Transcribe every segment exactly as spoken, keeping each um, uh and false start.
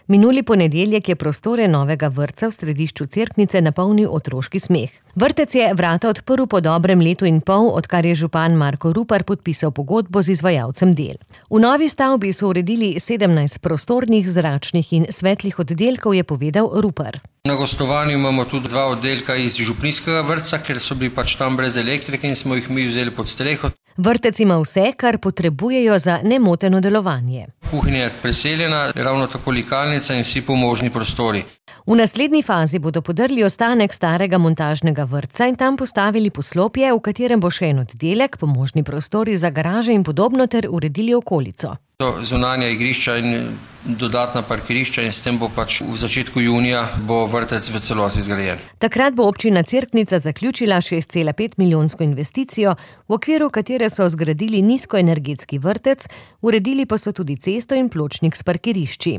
Minuli ponedeljek je prostore novega vrtca v središču Cerknice napolnil otroški smeh. Vrtec je vrata odprl po dobrem letu in pol, odkar je župan Marko Rupar podpisal pogodbo z izvajalcem del. V novi stavbi so uredili sedemnajst prostornih, zračnih in svetlih oddelkov, je povedal Rupar. Na gostovanju imamo tudi dva oddelka iz župnijskega vrtca, ker so bili pač tam brez elektrike in smo jih mi vzeli pod streho. Vrtec ima vse, kar potrebujejo za nemoteno delovanje. Kuhinja je preseljena, ravno tako likalnica in vsi pomožni prostori. V naslednji fazi bodo podrli ostanek starega montažnega vrtca in tam postavili poslopje, v katerem bo še en oddelek, pomožni prostori za garaže in podobno ter uredili okolico. Zunanja igrišča in dodatna parkirišča in s tem bo pač v začetku junija bo vrtec v celoti zgrajen. Takrat bo občina Cerknica zaključila šest cela pet milijonsko investicijo, v okviru katere so zgradili nizkoenergetski vrtec, uredili pa so tudi cesto in pločnik s parkirišči.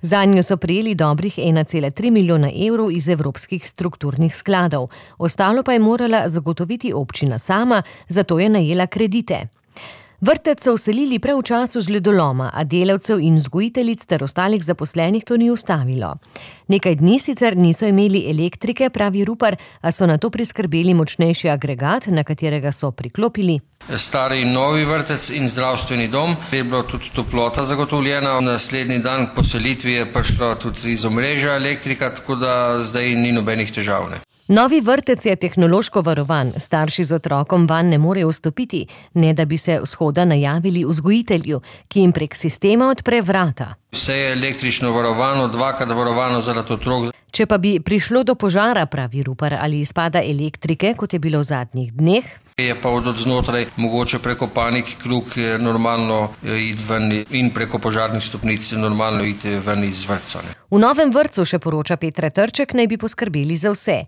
Zanjo so prejeli dobrih ena cela tri milijona evrov iz evropskih strukturnih skladov. Ostalo pa je morala zagotoviti občina sama, zato je najela kredite. Vrtec so vselili prav v času žledoloma, a delavcev in vzgojiteljic ter ostalih zaposlenih to ni ustavilo. Nekaj dni sicer niso imeli elektrike, pravi Rupar, a so nato priskrbeli močnejši agregat, na katerega so priklopili stari in novi vrtec in zdravstveni dom. Je bila tudi toplota zagotovljena. Naslednji dan po selitvi je prišla tudi iz omrežja elektrika, tako da zdaj ni nobenih težav. Ne. Novi vrtec je tehnološko varovan, starši z otrokom vanj ne morejo vstopiti, ne da bi se vzhoda najavili vzgojitelju, ki jim prek sistema odpre vrata. Vse je električno varovano, dvakrat varovano zaradi otrok. Če pa bi prišlo do požara, pravi Rupar, ali izpada elektrike, kot je bilo v zadnjih dneh, je pa od znotraj mogoče preko panik krug normalno iti ven in preko požarnih stopnic normalno iti ven iz vrtca. Ne. V novem vrtcu, še poroča Petra Trček, naj bi poskrbeli za vse.